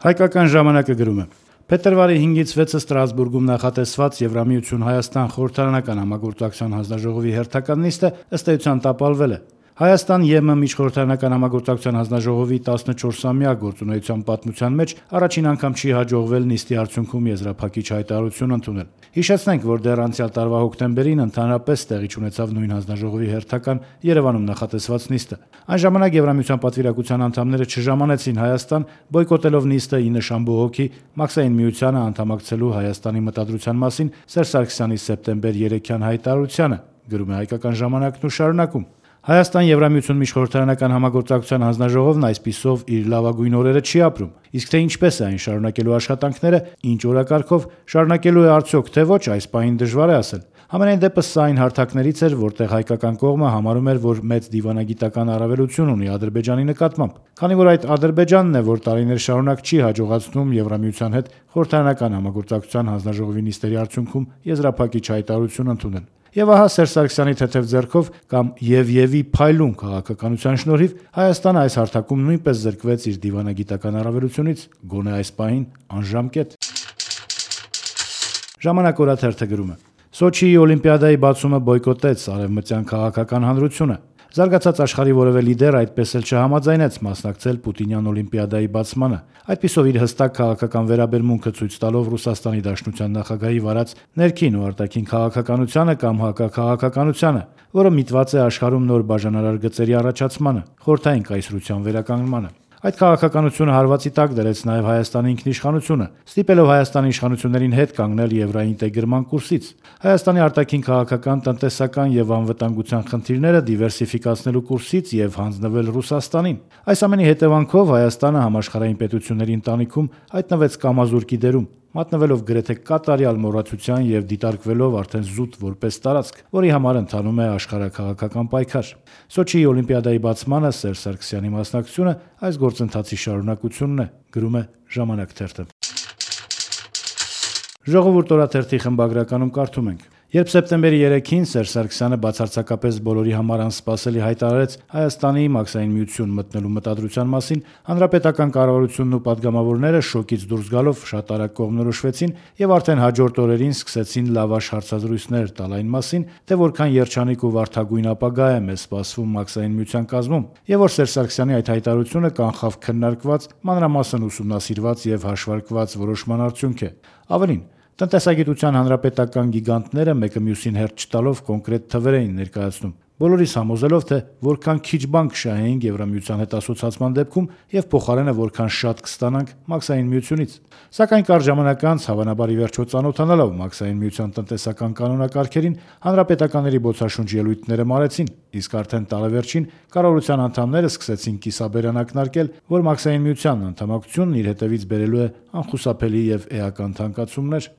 Հայկական ժամանակը գրում է. Փետրվարի 5-ից 6-ը Ստրասբուրգում նախատեսված Եվրամիություն-Հայաստան խորհրդարանական համագործակցության հանձնաժողովի հերթական նիստը ըստ էության տապալվել է։ Հայաստան-ԵՄ միջխորհրդարանական համագործակցության հանձնաժողովի 14-ամյա գործունեության պատմության մեջ առաջին անգամ չի հաջողվել նիստի արդյունքում եզրափակիչ հայտարարություն ընդունել։ Հիշեցնենք, որ դեռ անցյալ տարվա հոկտեմբերին ընդհանրապես տեղի ունեցավ նույն հանձնաժողովի հերթական Երևանում նախատեսված նիստը։ Այն ժամանակ Եվրամիության պատվիրակության անդամները չժամանեցին Հայաստան, բոյկոտելով նիստը ի նշան բողոքի Մաքսային միությանը անդամակցելու Հայաստանի մտադրության մասին Սերժ Սարգսյանի սեպտեմբեր 3-յան հայտարարությանը, գրում է Հայկական ժամանակն ու շարունակում. Հայաստան-Եվրամիություն միջխորհրդարանական համագործակցության հանձնաժողովն այսպիսով իր լավագույն օրերը չի ապրում, իսկ թե ինչպես է այն շարունակելու աշխատանքները, ինչ օրակարգով, շարունակելու է արդյոք թե ոչ, այս պահին դժվար է ասել։ Համենայն դեպս սա այն հարթակներից էր, որտեղ հայկական կողմը համարում էր, որ մեծ դիվանագիտական առավելություն ունի Ադրբեջանի նկատմամբ, քանի որ այդ Ադրբեջանն է, որ տարիներ շարունակ չի հաջողացնում Եվրամիության հետ խորհրդարանական համագործակցության հանձնաժողովի նիստերի արդյունքում եզրափակիչ հայտարարություն ընդունել։ Եվ ահա Սերժ Սարգսյանի թեթև ձեռքով կամ Եվի փայլուն քաղաքականության շնորհիվ Հայաստանը այս հարթակում նույնպես զրկվեց իր դիվանագիտական առավելությունից, գոնե այս պահին անժամկետ։ Ժամանակ օրաթերթը գրում է. Սոչիի օլիմպիադայի բացումը բոյկոտեց արևմտյան քաղաքական հանրությունը։ Զարգացած աշխարհի որևէ լիդեր այդպես էլ չհամաձայնեց մասնակցել Պուտինյան օլիմպիադայի բացմանը։ Այդպիսով իր հստակ քաղաքական վերաբերմունքը ցույց տալով Ռուսաստանի Դաշնության նախագահի վարած ներքին ու արտաքին քաղաքականությանը կամ հակաքաղաքականությանը, որը միտված է աշխարհում նոր բաժանարար գծերի առաջացմանը, խորհրդային կայսրության վերականգնմանը։ Այդ քաղաքականությունը հարվածի տակ դրեց նաև Հայաստանի ինքնիշխանությունը, ստիպելով Հայաստանի իշխանություններին հետ կանգնել եվրոինտեգրման կուրսից, Հայաստանի արտաքին քաղաքական, տնտեսական եւ անվտանգության խնդիրները դիվերսիֆիկացնելու կուրսից եւ հանձնվել Ռուսաստանին։ Այս ամենի հետևանքով Հայաստանը համաշխարհային պետությունների ընտանիքում հայտնվեց կամազուրկի դերում, մատնվելով գրեթե կատարյալ մոռացության եւ դիտարկվելով արդեն զուտ որպես տարածք, որի համար ընթանում է աշխարհաքաղաքական պայքար։ Սոչիի օլիմպիադայի բացմանը Սերժ Սարգսյանի մասնակցությունը այս գործընթացի շարունակությունն է, գրում է Ժամանակ թերթը։ Ժողովուրդ օրաթերթի խմբագրականում կարդում ենք. Երբ սեպտեմբերի 3-ին Սերժ Սարգսյանը բացարձակապես բոլորի համար անսպասելի հայտարարեց Հայաստանի Մաքսային միություն մտնելու մտադրության մասին, հանրապետական կառավարությունն ու պատգամավորները շոկից դուրս գալով շատ արագ կողմնորոշվեցին եւ արդեն հաջորդ օրերին սկսեցին լավաշ հարցազրույցներ տալ այն մասին, թե որքան երջանիկ ու վարդագույն ապագա է մեզ սպասվում Մաքսային միության կազմում, եւ որ Սերժ Սարգսյանի այդ հայտարարությունը կանխավ քննարկված, մանրամասն ուսումնասիրված եւ հաշվարկված որոշման արդյունք է։ Ավելին, տնտեսագիտության հանրապետական գիգանտները մեկը մյուսին հերթ չտալով կոնկրետ թվեր էին ներկայացնում, բոլորիս համոզելով, թե որքան քիչ բան կշահեինք Եվրամիության հետ ասոցացման դեպքում եւ փոխարենը որքան շատ կստանանք Մաքսային միությունից։ Սակայն կարճ ժամանակ անց, հավանաբար ի վերջո ծանոթանալով Մաքսային միության տնտեսական կանոնակարգերին, հանրապետականների բոցաշունչ ելույթները մարեցին, իսկ արդեն տարեվերջին կառավարության անդամները սկսեցին կիսաբերան ակնարկել, որ Մաքսային միության անդամակցությունն իր հետևից բերելու է անխուսափելի եւ էական թանկացումներ։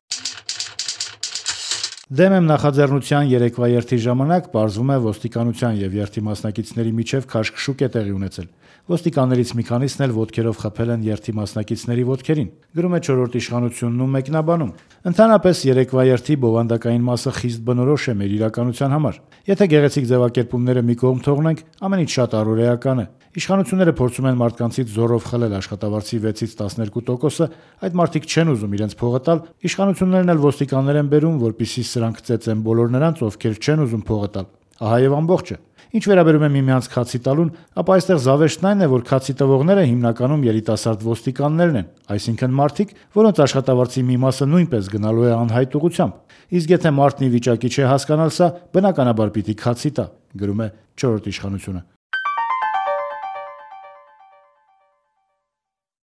Դեմ եմ նախաձեռնության երեկվա երթի ժամանակ պարզվում է ոստիկանության եւ երթի մասնակիցների միջև քաշքշուկ է տեղի ունեցել։ Ոստիկաններից մի քանիսն էլ ոտքերով խփել են երթի մասնակիցների ոտքերին, գրում է Չորրորդ իշխանությունն ու մեկնաբանում։ Ընդհանրապես երեկվա երթի բովանդակային մասը խիստ բնորոշ է մեր իրականության համար։ Եթե գեղեցիկ ձևակերպումները մի կողմ թողնենք, ամենից շատ առօրեական է։ Իշխանությունները փորձում են մարդկանցից զորով խլել աշխատավարձի 6-ից 12%-ը, այդ մարդիկ չեն ուզում իրենց փողը տալ, իշխանություններն էլ ոստիկաններ են բերում, որպեսզի սրանք ծեծեն բոլոր նրանց, ովքեր չեն ուզում փողը տալ։ Ահա եւ ամբողջը։ Ինչ վերաբերում է միմյանց քացի տալուն, ապա այստեղ զավեշտն այն է, որ քացի տվողները հիմնականում երիտասարդ ոստիկաններն են, այսինքն մարդիկ, որոնց աշխատավարձի մի մասը նույնպես գնալու է անհայտ ուղղությամբ։ Իսկ եթե մարդն ի վիճակի չէ հասկանալ սա, բնականաբար պիտի քացի տա, գրում է Չորրորդ իշխանությունը։